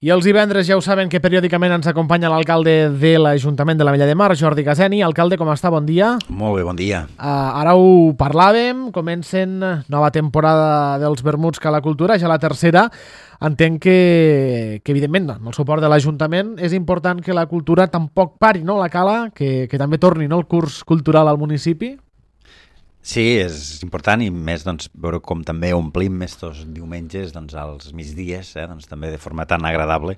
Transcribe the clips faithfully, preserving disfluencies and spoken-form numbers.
I els divendres ja ho saben que periòdicament ens acompanya l'alcalde de l'Ajuntament de l'Ametlla de Mar, Jordi Caseni. Alcalde, com està? Bon dia. Molt bé, bon dia. Uh, ara ho parlàvem, comencen nova temporada dels Vermuts que a la cultura, ja la tercera. Entenc que, que evidentment, amb el suport de l'Ajuntament és important que la cultura tampoc pari, no?, la cala, que, que també torni, no?, el curs cultural al municipi. Sí, és important i més doncs, veure com també omplim estos diumenges doncs, als migdies, eh, doncs, també de forma tan agradable,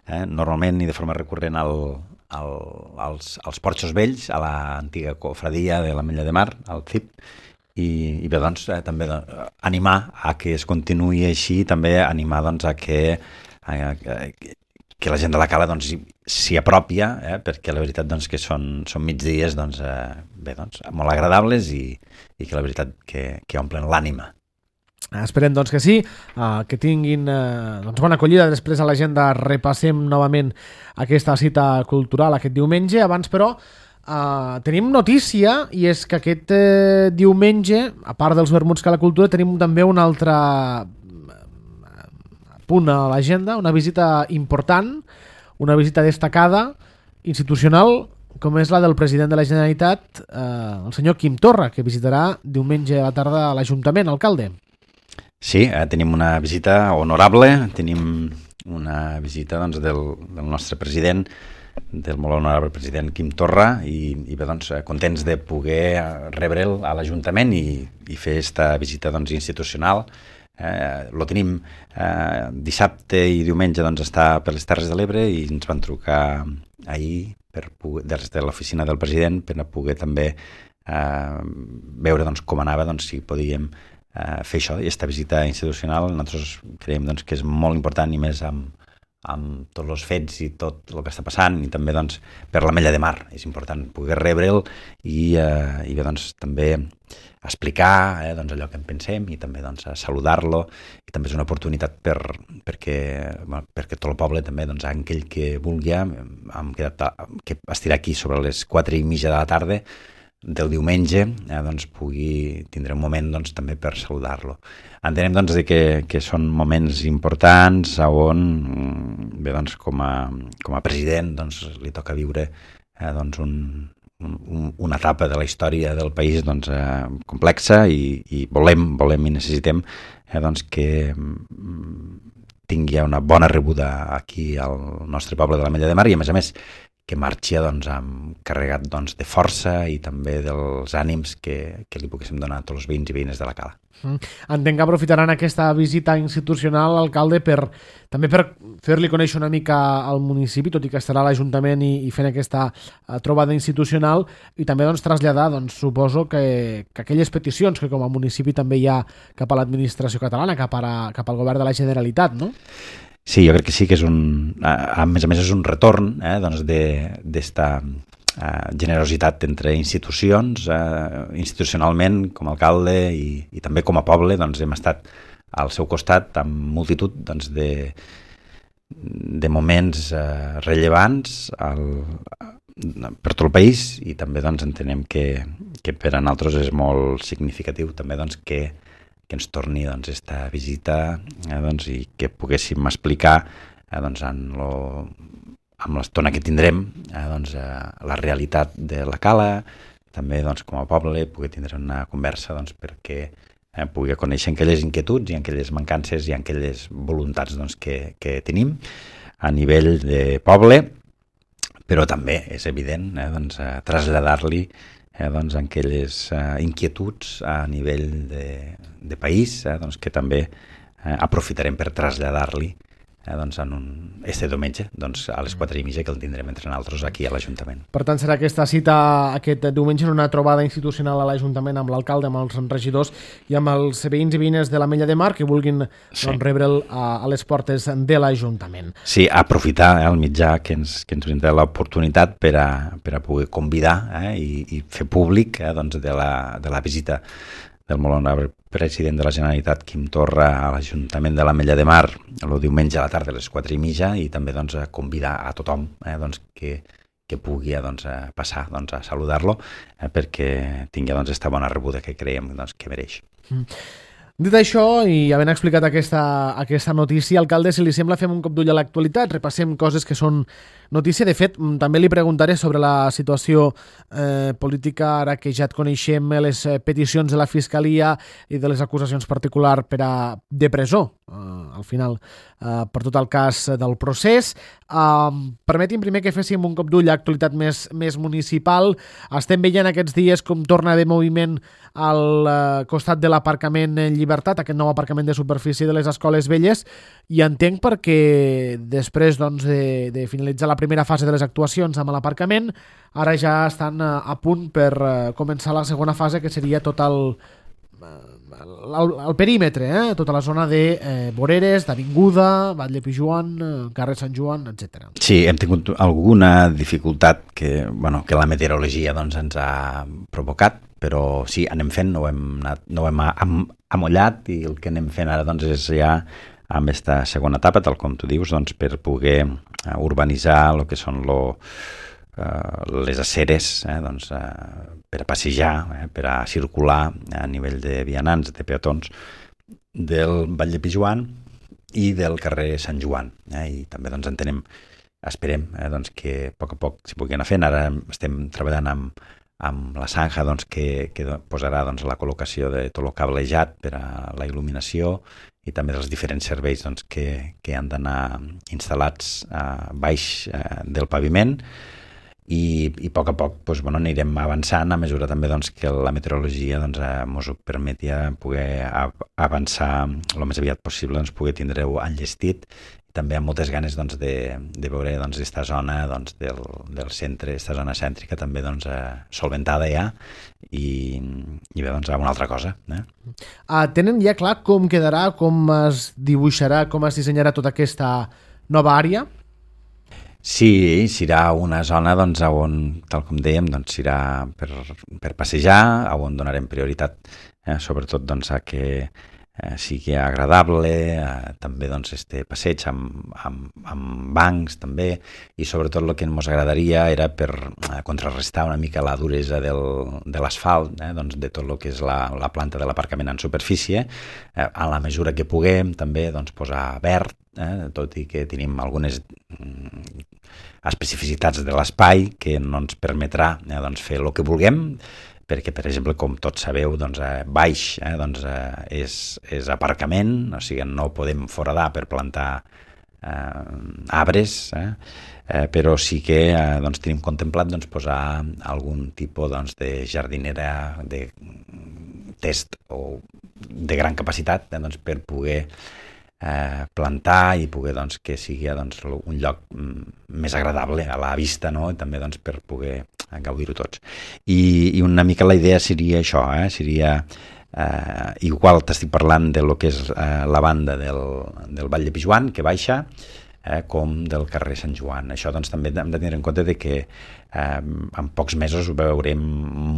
eh, normalment i de forma recurrent al, al, als, als Porxos Vells, a l'antiga cofradia de l'Ametlla de Mar, al C I P, i, i bé, doncs, eh, també doncs, animar a que es continuï així, també animar doncs, a que... A, a, que la gent de la cala doncs, s'hi apropia, eh, perquè la veritat doncs, que són, són migdies doncs, eh, bé, doncs, molt agradables i, i que la veritat que, que omplen l'ànima. Esperem doncs, que sí, uh, que tinguin uh, doncs, bona acollida. Després a l'agenda repassem novament aquesta cita cultural aquest diumenge. Abans, però, uh, tenim notícia, i és que aquest uh, diumenge, a part dels Vermuts que a la cultura, tenim també un altre punt a l'agenda, una visita important, una visita destacada, institucional, com és la del president de la Generalitat, eh, el senyor Quim Torra, que visitarà diumenge a la tarda a l'Ajuntament, alcalde. Sí, eh, tenim una visita honorable, tenim una visita doncs, del, del nostre president, del molt honorable president Quim Torra, i, i bé, doncs, contents de poder rebre'l a l'Ajuntament i, i fer aquesta visita doncs, institucional. Eh, lo tenim eh, dissabte i diumenge doncs, està per les Terres de l'Ebre i ens van trucar ahir per poder, des de l'oficina del president per a poder també eh, veure doncs, com anava, doncs, si podíem eh, fer això, i aquesta visita institucional. Nosaltres creiem doncs, que és molt important, i més amb, amb tots els fets i tot el que està passant, i també doncs, per l'Ametlla de Mar és important poder rebre'l i, eh, i bé, doncs, també explicar eh, doncs allò que en pensem i també doncs, saludar-lo, i també és una oportunitat per, perquè, bueno, perquè tot el poble també, doncs, aquell que vulgui, hem quedat, que estirà aquí sobre les quatre i mitja de la tarda del diumenge, eh, doncs, pugui tindre un moment doncs, també per saludar-lo. Entenem doncs, que, que són moments importants on bé, doncs, com, a, com a president doncs, li toca viure eh, doncs, un una etapa de la història del país doncs, eh, complexa, i, i volem, volem i necessitem eh, doncs, que tingui una bona rebuda aquí al nostre poble de l'Ametlla de Mar, i a més a més que marxi doncs, amb, carregat doncs, de força i també dels ànims que, que li poguéssim donar a tots els veïns i veïnes de la cala. Mm. Entenc que aprofitaran aquesta visita institucional, alcalde, per també per fer-li conèixer una mica al municipi, tot i que estarà a l'Ajuntament i, i fent aquesta uh, trobada institucional, i també doncs, traslladar, doncs, suposo que, que aquelles peticions que com a municipi també hi ha cap a l'administració catalana, cap, a, cap al govern de la Generalitat, no? Sí, jo crec que sí que és un... A més a més és un retorn eh, doncs d'esta eh, generositat entre institucions, eh, institucionalment com a alcalde i, i també com a poble, doncs hem estat al seu costat amb multitud doncs, de, de moments eh, rellevants al, per tot el país, i també doncs, entenem que, que per a nosaltres és molt significatiu també doncs, que que ens torni doncs, esta visita eh, doncs, i que poguéssim explicar eh, doncs, en lo, amb l'estona que tindrem eh, doncs, eh, la realitat de la cala, també doncs, com a poble poder tindre una conversa doncs, perquè eh, pugui conèixer aquelles inquietuds i aquelles mancances i aquelles voluntats doncs, que, que tenim a nivell de poble, però també és evident eh, doncs, eh, traslladar-li Eh, doncs, aquelles eh, inquietuds a nivell de, de país eh, doncs, que també eh, aprofitarem per traslladar-li eh, doncs, en un, este diumenge doncs, a les quatre i mitja, que el tindrem entre nosaltres aquí a l'Ajuntament. Per tant, serà aquesta cita aquest diumenge en una trobada institucional a l'Ajuntament amb l'alcalde, amb els regidors i amb els veïns i veïnes de l'Ametlla de Mar que vulguin sí. doncs, rebre'l a, a les portes de l'Ajuntament. Sí, aprofitar eh, el mitjà que ens, que ens brinda l'oportunitat per a, per a poder convidar eh, i, i fer públic eh, doncs, de, la, de la visita del molt honorable president de la Generalitat, Quim Torra, a l'Ajuntament de l'Ametlla de Mar el diumenge a la tarda a les quatre i mitja, i també doncs, a convidar a tothom eh, doncs, que, que pugui doncs, a passar doncs, a saludar-lo eh, perquè tingui doncs, esta bona rebuda que creiem doncs, que mereix. Mm. Dit això, i havent explicat aquesta, aquesta notícia, alcalde, si li sembla, fem un cop d'ull a l'actualitat, repassem coses que són notícia. De fet, també li preguntaré sobre la situació eh, política, ara que ja et coneixem les peticions de la Fiscalia i de les acusacions particulars per a, de presó, eh, al final, eh, per tot el cas del procés. Eh, permeti'm primer que féssim un cop d'ull a l'actualitat més, més municipal. Estem veient aquests dies com torna a haver moviment al eh, costat de l'aparcament en Llibertat, aquest nou aparcament de superfície de les escoles velles, i entenc perquè després doncs, de, de finalitzar la primera fase de les actuacions amb l'aparcament, ara ja estan a, a punt per uh, començar la segona fase, que seria tot el, el, el perímetre, eh? Tota la zona de eh, Voreres, d'Avinguda, Batlle Pijuan, eh, carrer Sant Joan, etcètera. Sí, hem tingut alguna dificultat que, bueno, que la meteorologia doncs, ens ha provocat, però sí, anem fent, no ho hem, anat, no ho hem am, amollat, i el que anem fent ara doncs, és ja amb aquesta segona etapa, tal com tu dius, doncs, per poder uh, urbanitzar el que són lo, uh, les aceres, eh, doncs, uh, per a passejar, eh, per a circular a nivell de vianants, de peatons, del Batlle Pijuan i del carrer Sant Joan. Eh, I també doncs, entenem, esperem eh, doncs, que a poc a poc s'hi pugui anar fent. Ara estem treballant amb amb la Sanja doncs, que, que posarà doncs, la col·locació de tot el cablejat per a la il·luminació i també dels diferents serveis doncs, que, que han d'anar instal·lats a baix eh, del paviment, i, i a poc a poc doncs, bueno, anirem avançant a mesura també doncs, que la meteorologia doncs, ens ho permeti poder avançar el més aviat possible, doncs, poder tindre-ho enllestit, també amb moltes ganes doncs, de, de veure doncs, aquesta zona doncs, del, del centre, aquesta zona cèntrica també doncs, eh, solventada ja, i, i bé, doncs, una altra cosa. Eh? Uh, tenen ja clar com quedarà, com es dibuixarà, com es dissenyarà tota aquesta nova àrea? Sí, serà una zona doncs, on, tal com dèiem, doncs, serà per, per passejar, on donarem prioritat eh, sobretot doncs, a que Eh, sigui agradable, eh, també doncs, este passeig amb, amb, amb bancs també, i sobretot el que ens agradaria era per eh, contrarrestar una mica la duresa del, de l'asfalt, eh, doncs, de tot el que és la, la planta de l'aparcament en superfície, eh, a la mesura que puguem també doncs, posar verd, eh, tot i que tenim algunes mm, especificitats de l'espai que no ens permetrà eh, doncs, fer el que vulguem, perquè, per exemple, com tots sabeu, doncs, eh, baix eh, doncs, eh, és, és aparcament, o sigui, no podem foradar per plantar eh, arbres, eh, eh, però sí que eh, doncs, tenim contemplat doncs, posar algun tipus doncs, de jardinera de test o de gran capacitat eh, doncs, per poder eh, plantar i poder doncs, que sigui doncs, un lloc més agradable a la vista, no? I també doncs, per poder gaudir-ho tots. I, I una mica la idea seria això, eh? seria eh, igual t'estic parlant de lo que és eh, la banda del, del Batlle Pijuan, que baixa, eh, com del carrer Sant Joan. Això doncs, també hem de tenir en compte de que eh, en pocs mesos ho veurem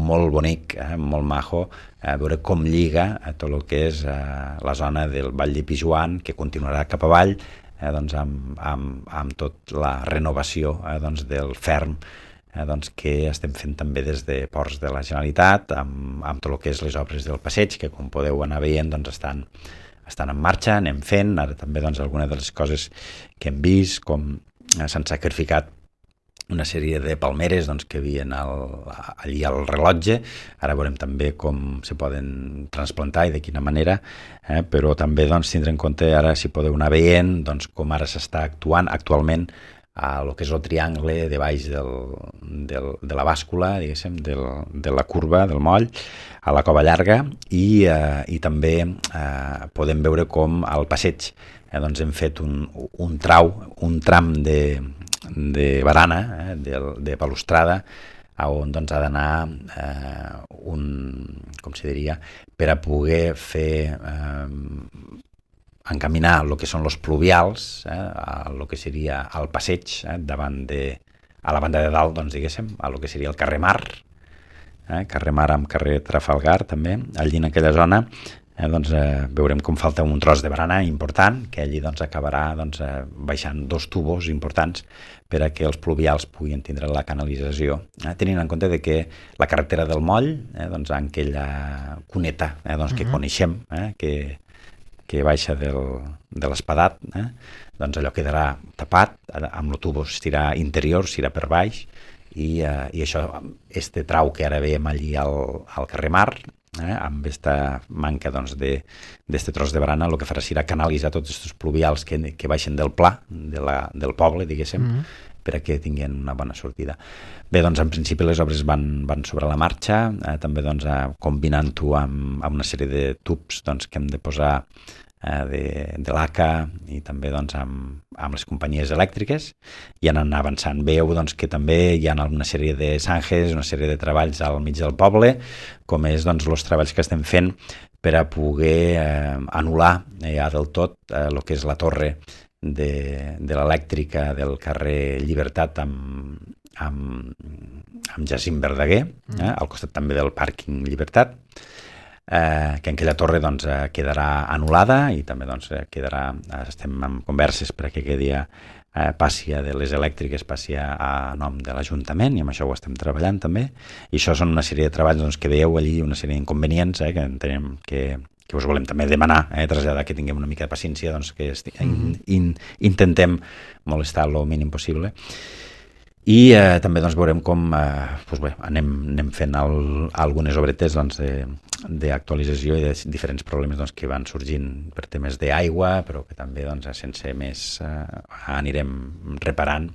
molt bonic, eh, molt majo, eh, veure com lliga a tot el que és eh, la zona del Batlle Pijuan, que continuarà cap avall, eh, doncs, amb, amb, amb tot la renovació eh, doncs, del ferm eh, doncs, que estem fent també des de Ports de la Generalitat, amb, amb tot el que és les obres del passeig, que com podeu anar veient doncs, estan, estan en marxa, anem fent. Ara també doncs, algunes de les coses que hem vist, com eh, s'han sacrificat una sèrie de palmeres doncs, que havien al, allí al rellotge. Ara veurem també com se poden transplantar i de quina manera, eh? Però també doncs, tindre en compte ara, si podeu anar veient, doncs, com ara s'està actuant actualment a el que és el triangle de baix del, del, de la bàscula, diguéssim, del, de la curva, del moll, a la Cova Llarga, i, eh, i també eh, podem veure com al passeig eh, doncs hem fet un, un trau, un tram de, de barana, eh, de, de balustrada, on doncs, ha d'anar eh, un, com se diria, per a poder fer eh, encaminar el que són els pluvials, eh, a el que seria el passeig, eh, davant de, a la banda de dalt, doncs, diguéssim, a el que seria el carrer Mar, eh, carrer Mar amb carrer Trafalgar, també, allí en aquella zona, eh, doncs, eh, veurem com falta un tros de barana important, que allí doncs, acabarà doncs, eh, baixant dos tubos importants per a que els pluvials puguin tindre la canalització, eh, tenint en compte de que la carretera del Moll, eh, doncs, en aquella cuneta eh, doncs, que uh-huh. coneixem, eh, que, que baixa del, de l'Espadat, eh, doncs allò quedarà tapat, amb el tubo estirà interior, serà per baix, i, eh, i això, este trau que ara veiem allí al, al carrer Mar, eh, amb aquesta manca doncs, de, d'este tros de barana, el que farà serà canalitzar tots aquests pluvials que, que baixen del pla, de la, del poble, diguéssim, mm-hmm. per a que tinguin una bona sortida. Bé, doncs en principi les obres van, van sobre la marxa, eh, també doncs, eh, combinant-ho amb, amb una sèrie de tubs doncs, que hem de posar de, de l'A C A i també doncs, amb, amb les companyies elèctriques, i anant avançant. Veieu doncs, que també hi ha una sèrie de zanjes, una sèrie de treballs al mig del poble, com és doncs, els treballs que estem fent per a poder eh, anul·lar ja del tot eh, el que és la torre de, de l'elèctrica del carrer Llibertat amb, amb, amb Jacint Verdaguer, eh, al costat també del pàrquing Llibertat, Eh, que en aquella torre doncs, eh, quedarà anul·lada i també doncs, eh, quedarà, eh, estem en converses per a que aquell dia eh, passi de les elèctriques passi a, a nom de l'Ajuntament, i amb això ho estem treballant també, i això són una sèrie de treballs doncs, que veieu allí, una sèrie d'inconvenients eh, que entenem que, que us volem també demanar, eh, traslladar que tinguem una mica de paciència, doncs, que esti- in, in, intentem molestar el mínim possible. I eh, també doncs, veurem com eh, doncs bé, anem, anem fent el, algunes obretes doncs, d'actualització i de diferents problemes doncs, que van sorgint per temes d'aigua, però que també doncs, sense més eh, anirem reparant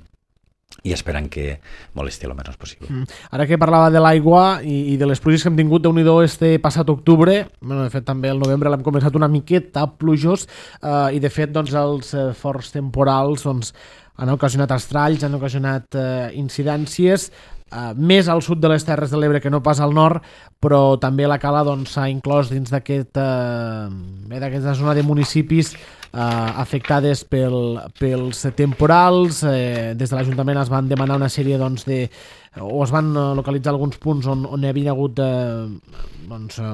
i esperant que molesti el menys possible. Mm. Ara que parlava de l'aigua i, i de les pluges que hem tingut, déu-n'hi-do este passat octubre, bueno, de fet també el novembre l'hem començat una miqueta plujós, eh, i de fet doncs, els eh, forts temporals doncs, han ocasionat estralls, han ocasionat eh, incidències, eh, més al sud de les Terres de l'Ebre que no pas al nord, però també la Cala doncs, s'ha inclòs dins d'aquest, eh, d'aquesta zona de municipis eh, afectades pel, pels temporals. Eh, des de l'Ajuntament es van demanar una sèrie doncs, de o es van localitzar alguns punts on, on hi havia hagut eh, doncs, eh,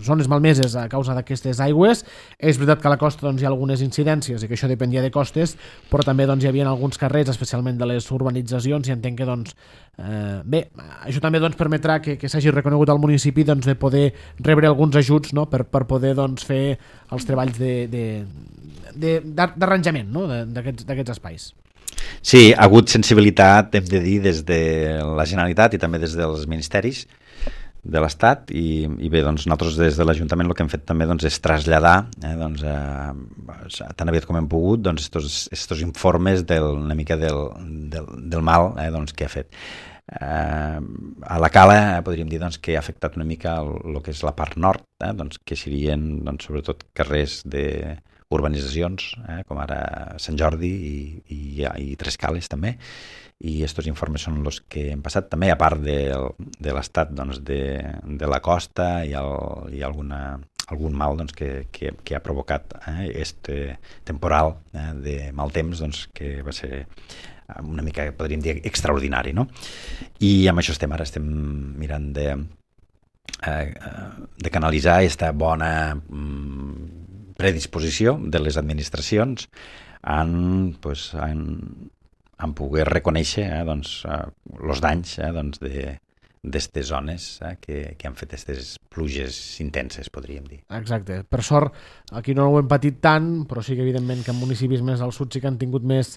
zones malmeses a causa d'aquestes aigües. És veritat que a la costa doncs, hi ha algunes incidències i que això dependia de costes, però també doncs, hi havia alguns carrers, especialment de les urbanitzacions, i entenc que doncs, eh, bé, això també doncs, permetrà que, que s'hagi reconegut al municipi doncs, de poder rebre alguns ajuts, no? per, per poder doncs, fer els treballs de, de, de, d'arranjament, no? d'aquests, d'aquests espais. Sí, ha hagut sensibilitat, hem de dir, des de la Generalitat i també des dels ministeris de l'Estat, i, i bé, doncs nosaltres des de l'Ajuntament el que hem fet també doncs, és traslladar eh, doncs, eh, tan aviat com hem pogut doncs, estos, estos informes del, una mica del, del, del mal eh, doncs, que ha fet. Eh, a la Cala eh, podríem dir doncs, que ha afectat una mica el, el que és la part nord, eh, doncs, que serien doncs, sobretot carrers de urbanitzacions, eh, com ara Sant Jordi i, i, i Tres Cales també, i aquests informes són els que hem passat també, a part de, de l'estat doncs, de, de la costa i, el, i alguna, algun mal doncs, que, que, que ha provocat eh, este temporal eh, de mal temps doncs, que va ser una mica, podríem dir, extraordinari, no? I amb això estem ara, estem mirant de, eh, de canalitzar aquesta bona mm, predisposició de les administracions en, pues, en, en poder reconèixer eh, doncs, eh, els danys eh, doncs de d'estes zones eh, que, que han fet aquestes pluges intenses, podríem dir. Exacte. Per sort, aquí no ho hem patit tant, però sí que evidentment que en municipis més al sud sí que han tingut més,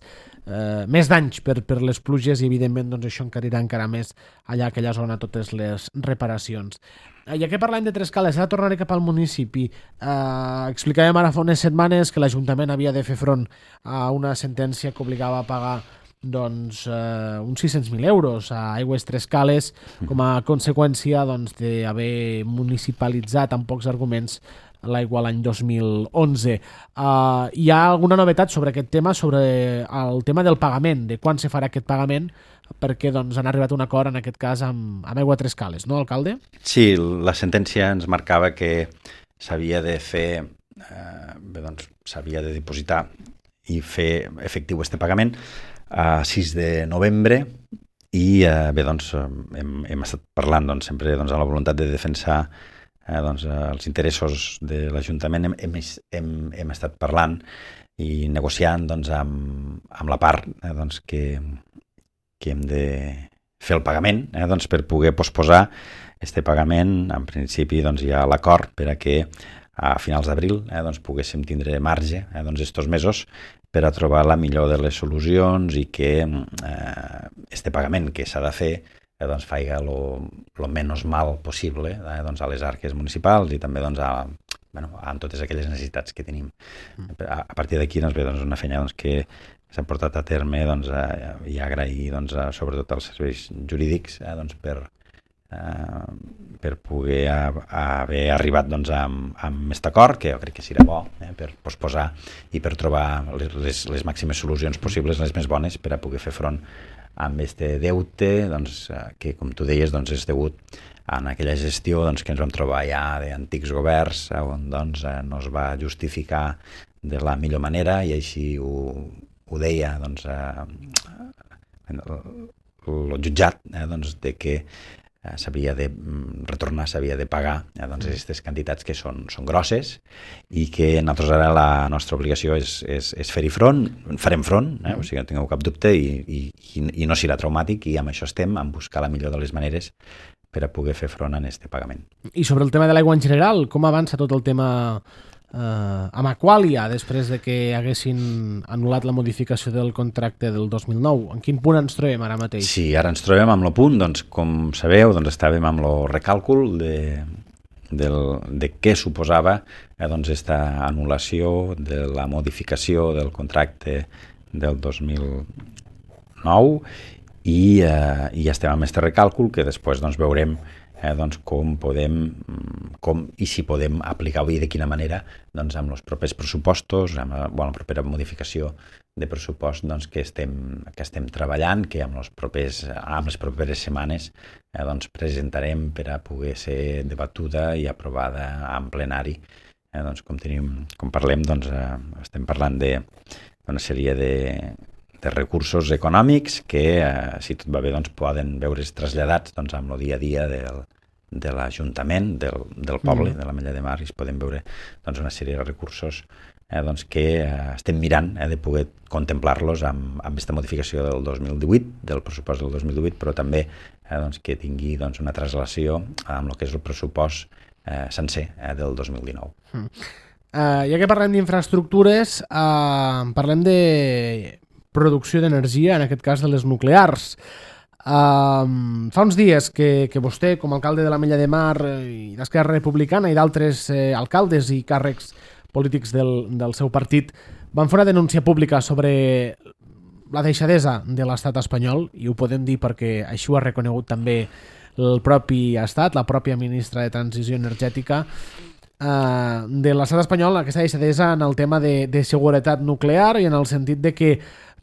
eh, més danys per, per les pluges, i evidentment doncs, això encarirà encara més allà a aquella zona totes les reparacions. Ja que parlem de Tres Cales, ara tornaré cap al municipi. Eh, explicàvem ara fa unes setmanes que l'Ajuntament havia de fer front a una sentència que obligava a pagar doncs, eh, uns sis-cents mil euros a Aigües Tres Cales com a conseqüència doncs, d'haver municipalitzat amb pocs arguments l'aigua l'any dos mil onze. Uh, hi ha alguna novetat sobre aquest tema, sobre el tema del pagament, de quan se farà aquest pagament, perquè doncs, han arribat a un acord en aquest cas amb, amb Aigua Tres Cales, no, alcalde? Sí, la sentència ens marcava que s'havia de fer, eh, bé, doncs, s'havia de dipositar i fer efectiu este pagament a sis de novembre, i eh, bé, doncs, hem, hem estat parlant doncs, sempre doncs, amb la voluntat de defensar eh, doncs, eh, els interessos de l'Ajuntament hem, hem, hem, hem estat parlant i negociant doncs, amb, amb la part eh, doncs, que, que hem de fer el pagament eh, doncs, per poder posposar este pagament. En principi doncs, hi ha l'acord per a que a finals d'abril eh, doncs, poguéssim tindre marge eh, doncs, estos mesos per a trobar la millor de les solucions i que eh, este pagament que s'ha de fer eh, doncs, faiga lo, lo menys mal possible eh, doncs, a les arques municipals i també doncs, a, bueno, a totes aquelles necessitats que tenim. Mm. A, a partir d'aquí doncs, ve doncs, una feina doncs, que s'ha portat a terme doncs, a, i agrair doncs, a, sobretot als serveis jurídics eh, doncs, per Uh, per poder a, a haver arribat doncs, amb, amb aquest acord, que jo crec que serà bo eh, per posposar i per trobar les, les, les màximes solucions possibles, les més bones, per a poder fer front amb aquest deute doncs, que, com tu deies, doncs, és degut en aquella gestió doncs, que ens vam trobar ja d'antics governs on doncs, no es va justificar de la millor manera i així ho, ho deia doncs, eh, el jutjat eh, doncs, de que s'havia de retornar, s'havia de pagar eh, doncs aquestes quantitats que són, són grosses i que nosaltres ara la nostra obligació és, és, és fer-hi front, farem front, eh? O sigui, no tingueu cap dubte i, i, i no serà traumàtic i amb això estem, en buscar la millor de les maneres per a poder fer front a aquest pagament. I sobre el tema de l'aigua en general, com avança tot el tema eh, amb Aqualia després de que haguessin anul·lat la modificació del contracte del dos mil nou? En quin punt ens trobem ara mateix? Sí, ara ens trobem amb el punt, doncs, com sabeu, doncs, estàvem amb el recàlcul de, del, de què suposava eh, doncs, esta anul·lació de la modificació del contracte del dos mil nou i, eh, i estem amb aquest recàlcul que després doncs, veurem Eh, doncs com podem com, i si podem aplicar i de quina manera doncs, amb els propers pressupostos, amb la, bueno, la propera modificació de pressupost doncs, que, estem, que estem treballant, que amb, els propers, amb les properes setmanes eh, doncs, presentarem per a poder ser debatuda i aprovada en plenari. Eh, doncs, com, tenim, com parlem, doncs, eh, estem parlant d'una sèrie de de recursos econòmics que, eh, si tot va bé, doncs, poden veure's traslladats doncs, amb el dia a dia del, de l'Ajuntament, del, del poble, mm. de la Mella de Mar, i es poden veure doncs, una sèrie de recursos eh, doncs, que eh, estem mirant eh, de poder contemplar-los amb, amb aquesta modificació del dos mil divuit, del pressupost del dos mil divuit, però també eh, doncs, que tingui doncs, una traslació amb el que és el pressupost eh, sencer eh, del dos mil dinou. Mm. Uh, ja que parlem d'infraestructures, uh, parlem de producció d'energia, en aquest cas de les nuclears. Um, fa uns dies que, que vostè, com a alcalde de la Mella de Mar i d'Esquerra Republicana i d'altres eh, alcaldes i càrrecs polítics del, del seu partit, van fer una denúncia pública sobre la deixadesa de l'estat espanyol, i ho podem dir perquè així ho ha reconegut també el propi estat, la pròpia ministra de Transició Energètica, Uh, de l'estat espanyol, aquesta deixadesa en el tema de, de seguretat nuclear i en el sentit de que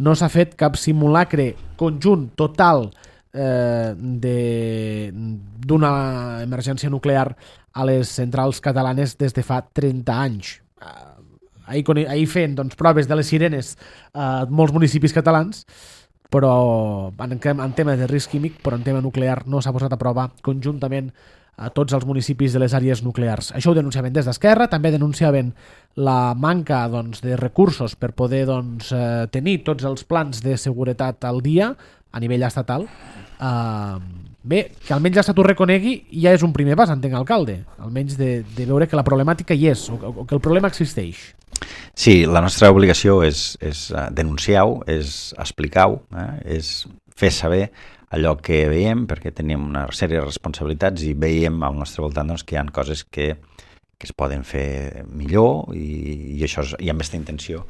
no s'ha fet cap simulacre conjunt total eh, d'una emergència nuclear a les centrals catalanes des de fa trenta anys. Uh, ahir, ahir fent doncs, proves de les sirenes a uh, molts municipis catalans, però en, en tema de risc químic, però en tema nuclear no s'ha posat a prova conjuntament a tots els municipis de les àrees nuclears. Això ho denunciaven des d'Esquerra, també denunciaven la manca doncs, de recursos per poder doncs, eh, tenir tots els plans de seguretat al dia a nivell estatal. Uh, bé, que almenys l'Estat ho reconegui ja és un primer pas, entenc, alcalde, almenys de, de veure que la problemàtica hi és, o, o que el problema existeix. Sí, la nostra obligació és, és denunciar-ho, és explicar-ho, eh? És fer saber allò que veiem, perquè tenim una sèrie de responsabilitats i veiem al nostre voltant doncs, que hi ha coses que, que es poden fer millor i, i, això és, i amb aquesta intenció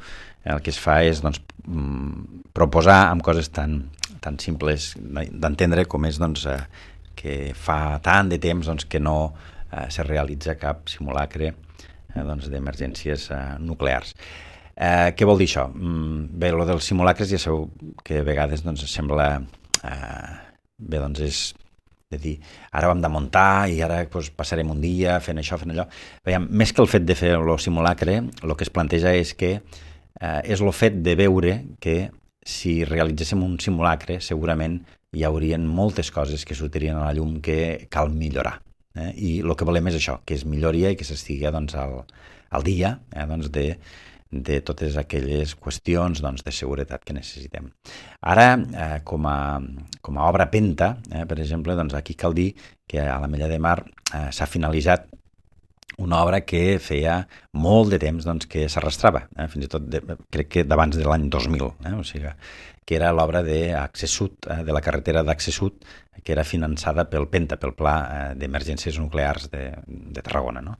el que es fa és doncs, proposar amb coses tan, tan simples d'entendre com és doncs, eh, que fa tant de temps doncs, que no eh, se realitza cap simulacre eh, doncs, d'emergències eh, nuclears. Eh, què vol dir això? Bé, el dels simulacres ja sabeu que a vegades doncs, sembla... Uh, bé, doncs és de dir, ara vam de muntar i ara doncs, passarem un dia fent això, fent allò. Veiem, més que el fet de fer el simulacre, el que es planteja és que uh, és el fet de veure que si realitzéssim un simulacre segurament hi haurien moltes coses que sortirien a la llum que cal millorar. eh? I el que volem és això, que es millori i que s'estigui doncs, al, al dia eh? doncs de, de totes aquelles qüestions doncs, de seguretat que necessitem. Ara, eh, com, a, com a obra Penta, eh, per exemple, doncs aquí cal dir que a l'Ametlla de Mar eh, s'ha finalitzat una obra que feia molt de temps doncs, que s'arrastrava, eh? fins i tot de, crec que d'abans de l'any dos mil, eh? O sigui, que era l'obra d'Accés Sud, eh? de la carretera d'Accés Sud, que era finançada pel Penta, pel Pla eh, d'Emergències Nuclears de, de Tarragona. No?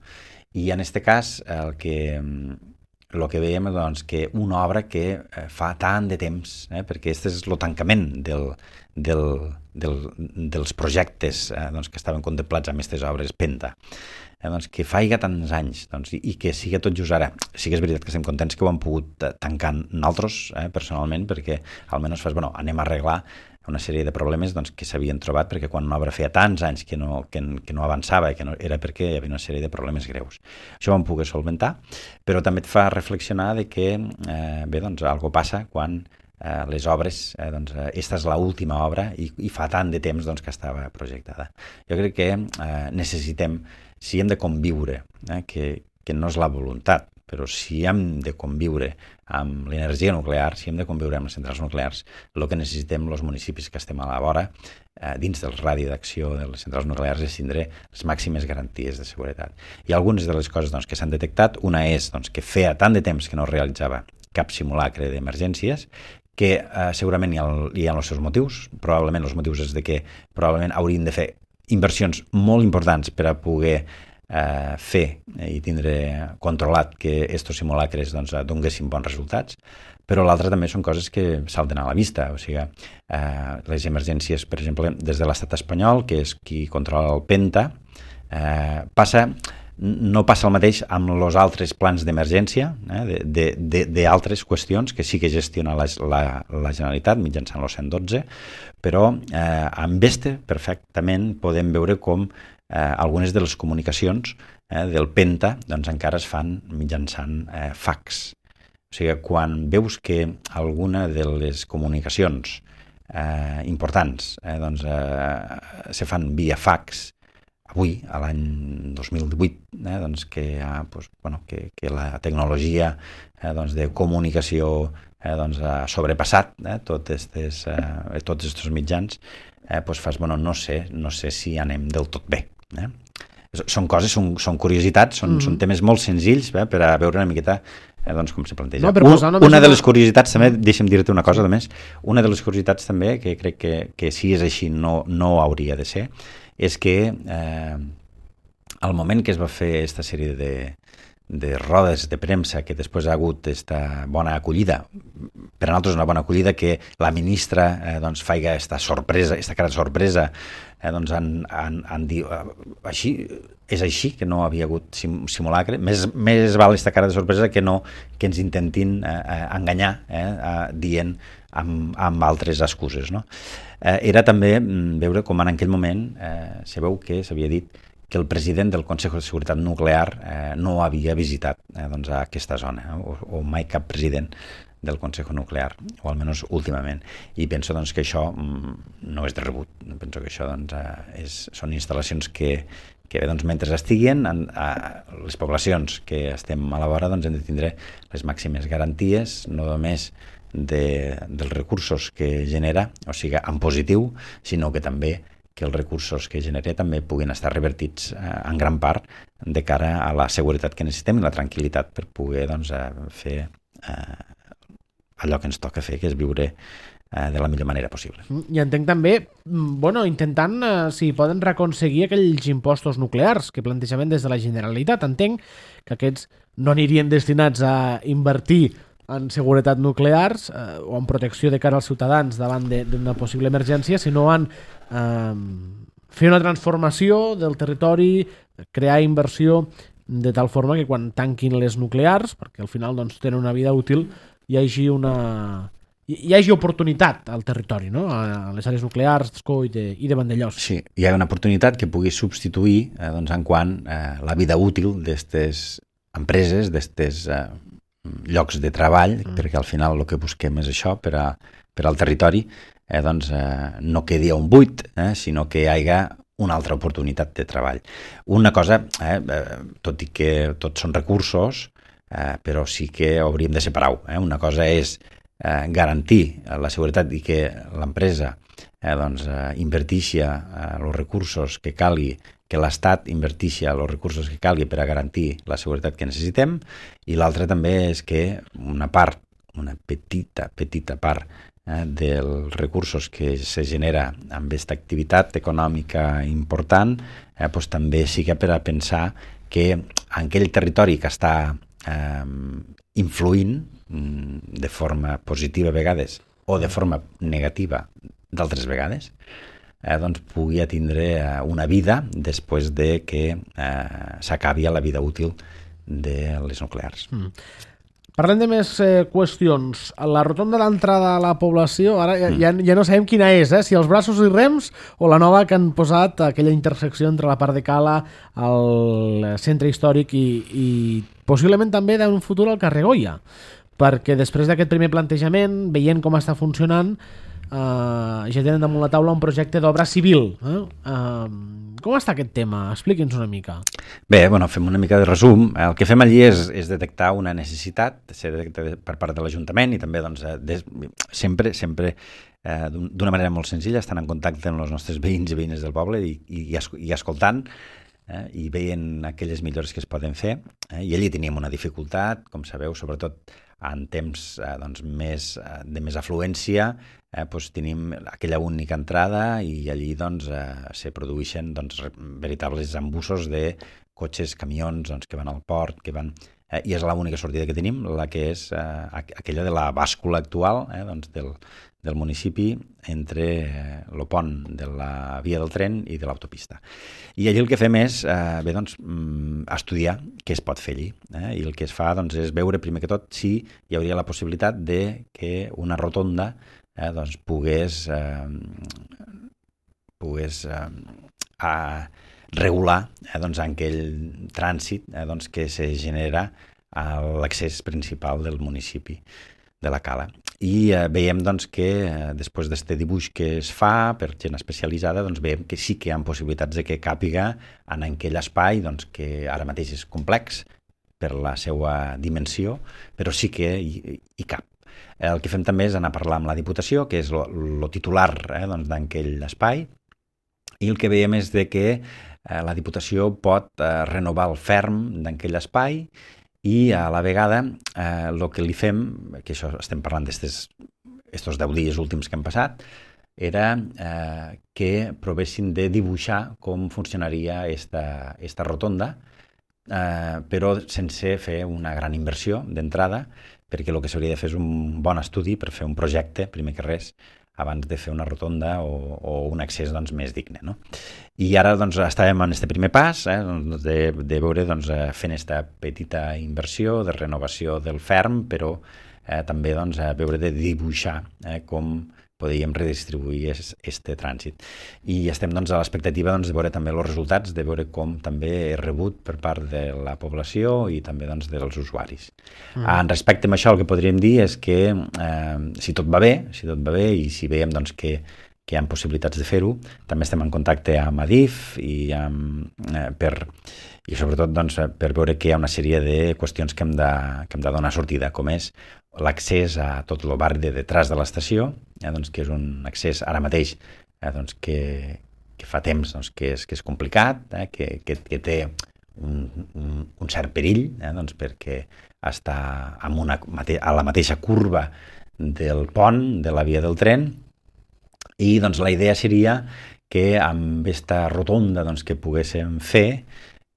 I en aquest cas el que, el que veiem és doncs, que una obra que eh, fa tant de temps, eh? perquè aquest és el tancament del, del, del, dels projectes eh? doncs, que estaven contemplats amb aquestes obres Penta, Eh, doncs, que faiga tants anys doncs, i, i que sigui tot just ara. Sí que és veritat que estem contents que ho hem pogut tancar nosaltres, eh, personalment, perquè almenys fas, bueno, anem a arreglar una sèrie de problemes doncs, que s'havien trobat, perquè quan una obra feia tants anys que no, que, que no avançava, que no, era perquè hi havia una sèrie de problemes greus. Això ho vam poder solventar, però també et fa reflexionar de que, eh, bé, doncs, algo passa quan eh, les obres, eh, doncs, eh, esta és l'última obra i, i fa tant de temps doncs, que estava projectada. Jo crec que eh, necessitem, si hem de conviure, eh, que, que no és la voluntat, però si hem de conviure amb l'energia nuclear, si hem de conviure amb les centrals nuclears, el que necessitem els municipis que estem a la vora, eh, dins del radi d'acció de les centrals nuclears, és tindre les màximes garanties de seguretat. Hi ha algunes de les coses doncs, que s'han detectat. Una és doncs, que feia tant de temps que no realitzava cap simulacre d'emergències, que eh, segurament hi ha, hi ha els seus motius. Probablement els motius és de que probablement haurien de fer inversions molt importants per a poder eh, fer i tindre controlat que estos simulacres doncs, donguessin bons resultats, però l'altre també són coses que salten a la vista, o sigui, eh, les emergències, per exemple, des de l'estat espanyol, que és qui controla el Penta, eh, passa... no passa el mateix amb els altres plans d'emergència, eh, d'altres qüestions que sí que gestiona la, la, la Generalitat mitjançant el cent dotze, però eh, amb este perfectament podem veure com eh, algunes de les comunicacions eh, del Penta doncs, encara es fan mitjançant eh, fax. O sigui, quan veus que alguna de les comunicacions eh, importants eh, doncs, eh, se fan via fax, avui, a l'any dos mil divuit, eh, doncs que, ha, doncs, bueno, que, que la tecnologia eh, doncs de comunicació eh, doncs ha sobrepassat eh, tot estes, eh, tots aquests mitjans, eh, doncs fas, bueno, no sé, no sé si anem del tot bé. Eh? Són coses, són, són curiositats, són, mm-hmm. són temes molt senzills eh, per a veure una miqueta eh, doncs, com se planteja. No, Un, una de les curiositats també, deixa'm dir-te una cosa, a més, una de les curiositats també, que crec que, que si és així no, no hauria de ser, és que eh, al moment que es va fer aquesta sèrie de, de rodes de premsa, que després ha hagut aquesta bona acollida, per a nosaltres una bona acollida, que la ministra eh, doncs, faiga aquesta sorpresa, aquesta cara de sorpresa, eh, doncs han, han, han dit, eh, així, és així, que no havia hagut sim, simulacre, més, més val aquesta cara de sorpresa que no que ens intentin eh, enganyar, eh, eh, dient amb, amb altres excuses, no? Eh, era també veure com en aquell moment eh, se veu que s'havia dit que el president del Consell de Seguretat Nuclear eh, no havia visitat eh, doncs, a aquesta zona, eh, o, o mai cap president del Consell Nuclear, o almenys últimament. I penso doncs, que això mm, no és de rebut. Penso que això doncs, eh, és, són instal·lacions que, que doncs, mentre estiguin, en, a les poblacions que estem a la vora doncs, hem de tindre les màximes garanties, no només de, dels recursos que genera, o sigui, en positiu, sinó que també que els recursos que genera també puguin estar revertits eh, en gran part de cara a la seguretat que necessitem i la tranquil·litat per poder doncs, eh, fer eh, allò que ens toca fer, que és viure eh, de la millor manera possible. I entenc també, bueno, intentant eh, si poden reconseguir aquells impostos nuclears que plantejaven des de la Generalitat. Entenc que aquests no anirien destinats a invertir en seguretat nuclears eh, o en protecció de cara als ciutadans davant d'una possible emergència, sinó en eh, fer una transformació del territori, crear inversió de tal forma que quan tanquin les nuclears, perquè al final doncs, tenen una vida útil, hi hagi una hi hagi oportunitat al territori, no? A les àrees nuclears d'Escó i de, i de Vandellòs. Sí, hi ha una oportunitat que pugui substituir eh, doncs, en quant eh, la vida útil d'aquestes empreses, d'aquestes eh, llocs de treball, mm. perquè al final el que busquem és això per, a, per al territori, eh, doncs eh, no quedi un buit, eh, sinó que hi hagi una altra oportunitat de treball. Una cosa, eh, tot i que tots són recursos, eh, però sí que hauríem de separar-ho. Eh? Una cosa és eh, garantir la seguretat i que l'empresa eh, doncs, eh, invertixi els eh, recursos que calgui, que l'Estat invertixi els recursos que calgui per a garantir la seguretat que necessitem, i l'altra també és que una part, una petita, petita part eh, dels recursos que se genera amb aquesta activitat econòmica important, eh, doncs també siga per a pensar que en aquell territori que està eh, influint de forma positiva a vegades o de forma negativa d'altres vegades, eh, doncs pugui tindre eh, una vida després de que eh, s'acabi la vida útil de les nuclears. Mm. Parlem de més eh, qüestions. La rotonda d'entrada a la població, ara ja, mm. ja, ja no sabem quina és, eh? Si els braços i rems o la nova que han posat, aquella intersecció entre la part de Cala, el centre històric i, i possiblement també d'un futur al carrer Goya. Perquè després d'aquest primer plantejament, veient com està funcionant, eh, ja tenen damunt la taula un projecte d'obra civil. Eh? Eh, com està aquest tema? Expliqui'ns una mica. Bé, bueno, fem una mica de resum. El que fem allí és, és detectar una necessitat per part de l'Ajuntament i també doncs, des, sempre, sempre eh, d'una manera molt senzilla, estan en contacte amb els nostres veïns i veïnes del poble i, i, i escoltant eh, i veient aquelles millores que es poden fer. Eh, I allí teníem una dificultat, com sabeu, sobretot en temps eh, doncs, més, eh, de més afluència, eh, doncs, tenim aquella única entrada i allí doncs, eh, se produeixen doncs, veritables embussos de cotxes, camions doncs, que van al port, que van... Eh, i és l'única sortida que tenim, la que és eh, aquella de la bàscula actual eh, doncs, del, del municipi entre el pont de la via del tren i de l'autopista. I allí el que fem és eh, bé, doncs, estudiar què es pot fer allí. Eh? I el que es fa doncs, és veure primer que tot si hi hauria la possibilitat de que una rotonda eh, doncs, pogués, eh, pogués eh, a regular eh, doncs, aquell trànsit eh, doncs, que se genera a l'accés principal del municipi de la Cala. I eh, veiem doncs, que eh, després d'aquest dibuix que es fa per gent especialitzada, doncs, veiem que sí que hi ha possibilitats de que càpiga en aquell espai doncs, que ara mateix és complex per la seva dimensió, però sí que hi, hi cap. El que fem també és anar a parlar amb la Diputació, que és el titular eh, doncs, d'aquell espai, i el que veiem és de que eh, la Diputació pot eh, renovar el ferm d'aquell espai i a la vegada el eh, que li fem, que això estem parlant d'estos deu dies últims que han passat, era eh, que provessin de dibuixar com funcionaria esta, esta rotonda, eh, però sense fer una gran inversió d'entrada, perquè el que s'hauria de fer és un bon estudi per fer un projecte, primer que res, abans de fer una rotonda o, o un accés doncs, més digne. No? I ara doncs, estàvem en aquest primer pas eh, doncs, de, de veure doncs, fent aquesta petita inversió de renovació del ferm, però eh, també doncs, veure de dibuixar eh, com podíem redistribuir aquest trànsit. I estem doncs, a l'expectativa doncs, de veure també els resultats, de veure com també és rebut per part de la població i també doncs, dels usuaris. Mm. En respecte a això, el que podríem dir és que eh, si tot va bé, si tot va bé i si veiem doncs, que, que hi ha possibilitats de fer-ho, també estem en contacte amb Adif i, amb, eh, per, i sobretot doncs, per veure que hi ha una sèrie de qüestions que hem de, que hem de donar sortida, com és l'accés a tot el barri de detrás de l'estació, eh, doncs, que és un accés ara mateix eh, doncs, que, que fa temps doncs, que, és, que és complicat, eh, que, que, que té un, un, un cert perill, eh, doncs, perquè està amb una, a la mateixa curva del pont, de la via del tren, i doncs, la idea seria que amb aquesta rotonda doncs, que poguéssim fer,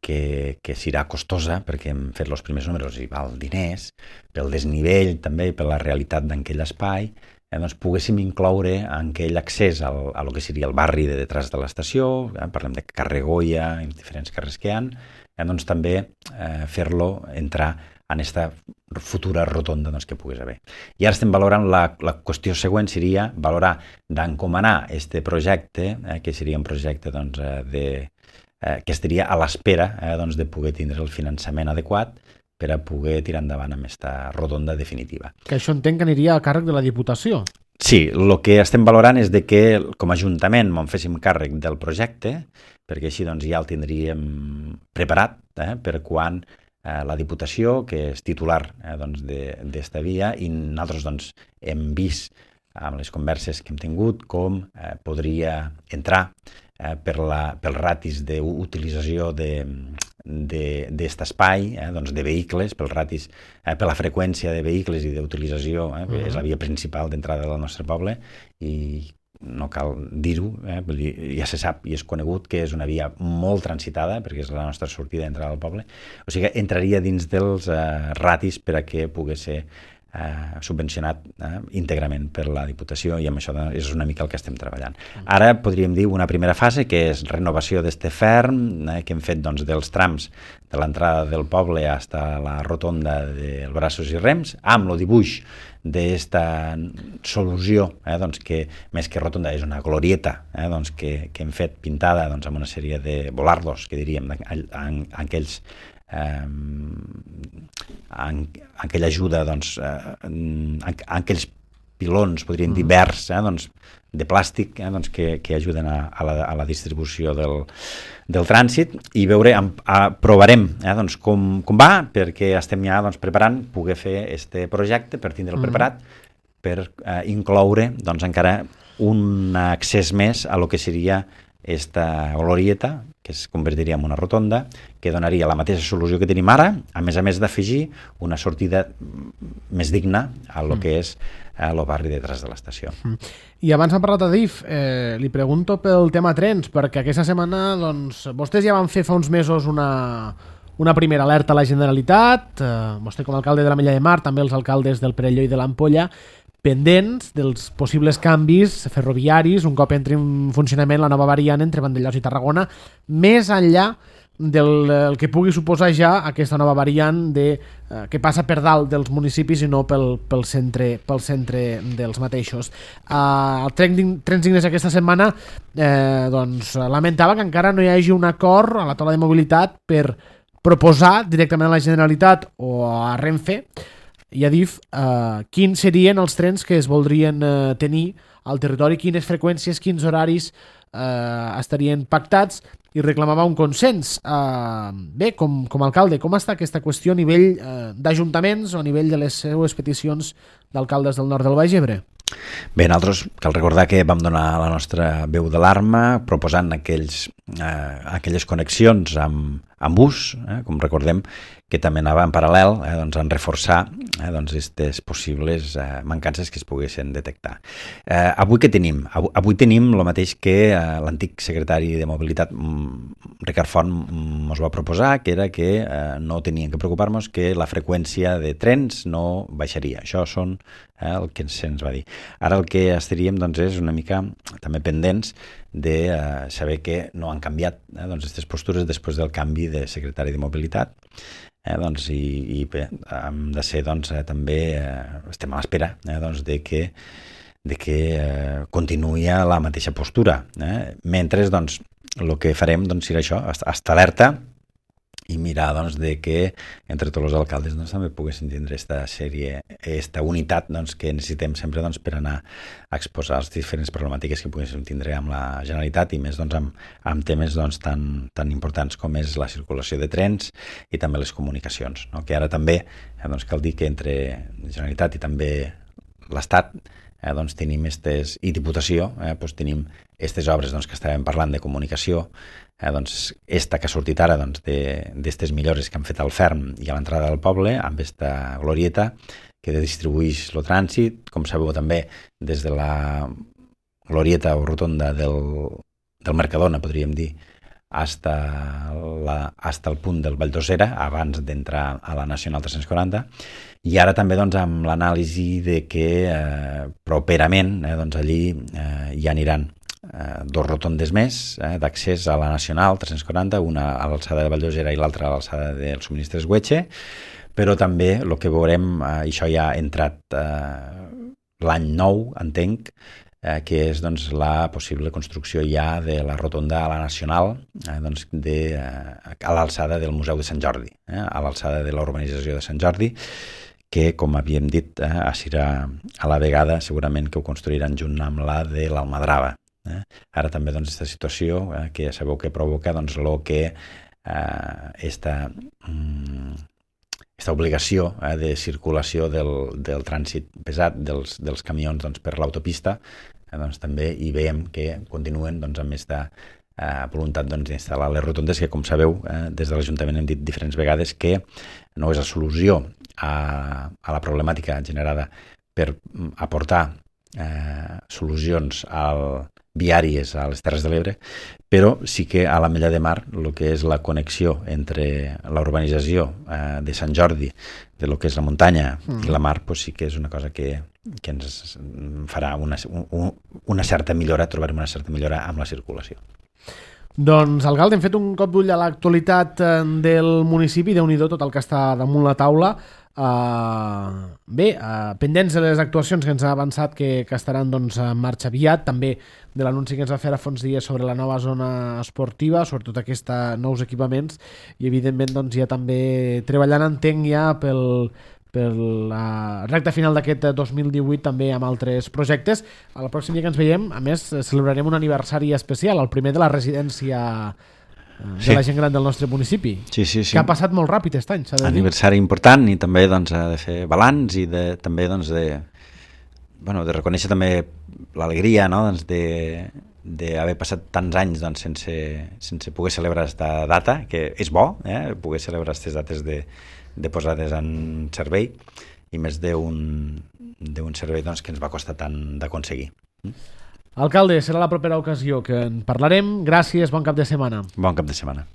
que, que serà costosa perquè hem fet els primers números i val diners, pel desnivell també, per la realitat d'aquell espai, eh, doncs poguéssim incloure en aquell accés al, a lo que seria el barri de detrás de l'estació, eh, parlem de carrer Goya i diferents carrers que hi ha, eh, doncs també eh, fer-lo entrar en aquesta futura rotonda doncs, que pogués haver. I ara estem valorant, la, la qüestió següent seria valorar d'encomanar aquest projecte, eh, que seria un projecte doncs, de Eh, que estaria a l'espera eh, doncs, de poder tindre el finançament adequat per a poder tirar endavant amb aquesta rotonda definitiva. Que això entenc que aniria a càrrec de la Diputació. Sí, el que estem valorant és de que com a Ajuntament m'en féssim càrrec del projecte, perquè així doncs, ja el tindríem preparat eh, per quan eh, la Diputació, que és titular eh, doncs, d'esta via, i nosaltres doncs, hem vist amb les converses que hem tingut com eh, podria entrar eh, per la, pel ratis d'utilització d'aquest espai, eh, doncs de vehicles, pel ratis, eh, per la freqüència de vehicles i d'utilització, eh, uh-huh. és la via principal d'entrada del nostre poble i no cal dir-ho, eh, ja se sap i és conegut que és una via molt transitada perquè és la nostra sortida d'entrada al poble, o sigui que entraria dins dels eh, ratis per a que pogués ser Eh, subvencionat eh, íntegrament per la Diputació i amb això és una mica el que estem treballant. Ara podríem dir una primera fase que és renovació d'este ferm eh, que hem fet doncs, dels trams de l'entrada del poble fins a la rotonda del Braços i Rems amb el dibuix d'esta solució eh, doncs, que més que rotonda és una glorieta eh, doncs, que, que hem fet pintada doncs, amb una sèrie de volardos que diríem en, en, en aquells Eh, en, en aquella ajuda doncs, eh, en, en aquells pilons, podríem dir verds eh, doncs, de plàstic eh, doncs, que, que ajuden a, a, la, a la distribució del, del trànsit i veure, a, a, provarem eh, doncs, com, com va, perquè estem ja doncs, preparant poder fer este projecte per tindre'l preparat per eh, incloure doncs, encara un accés més a lo que seria esta glorieta, que es convertiria en una rotonda, que donaria la mateixa solució que tenim ara, a més a més d'afegir una sortida més digna a lo que és el barri detrás de l'estació. I abans hem parlat a D I F, eh, li pregunto pel tema trens, perquè aquesta setmana doncs, vostès ja van fer fa uns mesos una, una primera alerta a la Generalitat, eh, vostè com a alcalde de l'Ametlla de Mar, també els alcaldes del Perelló i de l'Ampolla, pendents dels possibles canvis ferroviaris un cop entri en funcionament la nova variant entre Vandellòs i Tarragona, més enllà del el que pugui suposar ja aquesta nova variant de, eh, que passa per dalt dels municipis i no pel, pel, centre, pel centre dels mateixos. Eh, el Trens Dignes aquesta setmana eh, doncs, lamentava que encara no hi hagi un acord a la taula de mobilitat per proposar directament a la Generalitat o a Renfe i a D I F eh, quins serien els trens que es voldrien eh, tenir al territori, quines freqüències, quins horaris eh, estarien pactats i reclamava un consens. Eh, bé, com, com a alcalde, com està aquesta qüestió a nivell eh, d'ajuntaments o a nivell de les seues peticions d'alcaldes del nord del Baix Ebre? Bé, nosaltres cal recordar que vam donar la nostra veu d'alarma proposant aquells, eh, aquelles connexions amb, amb bus, eh, com recordem, que també anava en paral·lel eh, doncs, en reforçar eh, doncs, aquestes possibles eh, mancances que es poguessin detectar. Eh, avui què tenim? Avui, avui tenim el mateix que eh, l'antic secretari de Mobilitat, Ricard Font, ens va proposar, que era que eh, no tenien que preocupar-nos que la freqüència de trens no baixaria. Això són eh, el que se'ns va dir. Ara el que estaríem doncs, és una mica també pendents de eh, saber que no han canviat eh, doncs, aquestes postures després del canvi de secretari de Mobilitat. Eh, doncs, i, i bé, hem de ser doncs, eh, també eh, estem a l'espera eh, doncs, de que, de que eh, continuï la mateixa postura. Eh? Mentre doncs, el que farem doncs, serà això, estar alerta i mirar doncs, de que entre tots els alcaldes doncs, també poguessin tindre aquesta sèrie, aquesta unitat doncs, que necessitem sempre doncs, per anar a exposar les diferents problemàtiques que poguéssim tindre amb la Generalitat i més doncs, amb, amb temes doncs, tan, tan importants com és la circulació de trens i també les comunicacions, no? Que ara també eh, doncs, cal dir que entre la Generalitat i també l'Estat eh, doncs, tenim estes, i Diputació, eh, doncs, tenim aquestes obres doncs, que estàvem parlant de comunicació. Eh, doncs, esta que ha sortit ara doncs, d'aquestes millores que han fet al ferm i a l'entrada del poble amb aquesta glorieta que distribueix el trànsit, com sabeu també des de la glorieta o rotonda del, del Mercadona, podríem dir, hasta, la, hasta el punt del Vall d'Osera abans d'entrar a la Nacional tres-cents quaranta, i ara també doncs, amb l'anàlisi de que eh, properament eh, doncs, allí eh, hi aniran Eh, dos rotondes més eh, d'accés a la Nacional tres-cents quaranta, una a l'alçada de Vall d'Osera i l'altra a l'alçada del Subministres Güeche, però també el que veurem, eh, això ja ha entrat eh, l'any nou, entenc, eh, que és doncs, la possible construcció ja de la rotonda a la Nacional, eh, doncs, de, eh, a l'alçada del Museu de Sant Jordi, eh, a l'alçada de la urbanització de Sant Jordi, que, com havíem dit, eh, a Sira a la vegada segurament que ho construiran junt amb la de l'Almadrava. Eh? Ara també doncs, aquesta situació eh, que ja sabeu que provoca doncs, lo que eh, esta, mm, esta obligació eh, de circulació del, del trànsit pesat dels, dels camions doncs, per l'autopista, eh, doncs, també hi veiem que continuen doncs, amb aquesta eh, voluntat doncs, d'instal·lar les rotondes que, com sabeu, eh, des de l'Ajuntament hem dit diferents vegades que no és la solució a, a la problemàtica generada per aportar eh, solucions al, viàries a les Terres de l'Ebre, però sí que a la Mella de Mar el que és la connexió entre la urbanització eh, de Sant Jordi, de lo que és la muntanya mm. i la mar, pues sí que és una cosa que, que ens farà una, un, una certa millora, trobarem una certa millora amb la circulació. Doncs, alcalde, hem fet un cop d'ull a l'actualitat del municipi, Déu-n'hi-do tot el que està damunt la taula. Uh, bé, uh, pendents de les actuacions que ens ha avançat que, que estaran doncs, en marxa aviat, també de l'anunci que ens va fer a fa uns dies sobre la nova zona esportiva, sobretot aquests nous equipaments, i evidentment doncs, ja també treballant, entenc, ja pel, per la recta final d'aquest dos mil divuit també amb altres projectes. El pròxim dia que ens veiem, a més, celebrarem un aniversari especial, el primer de la residència de sí. la gent gran del nostre municipi, sí, sí, sí. que ha passat molt ràpid aquest any, s'ha de dir. Aniversari important, i també doncs, ha de fer balanç i de, també doncs, de, bueno, de reconèixer també l'alegria, no? doncs, de d'haver passat tants anys doncs, sense, sense poder celebrar aquesta data, que és bo, eh? poder celebrar aquestes dates de, de posades en servei, i més d'un d'un servei doncs, que ens va costar tant d'aconseguir. Mm? Alcalde, serà la propera ocasió que en parlarem. Gràcies, bon cap de setmana. Bon cap de setmana.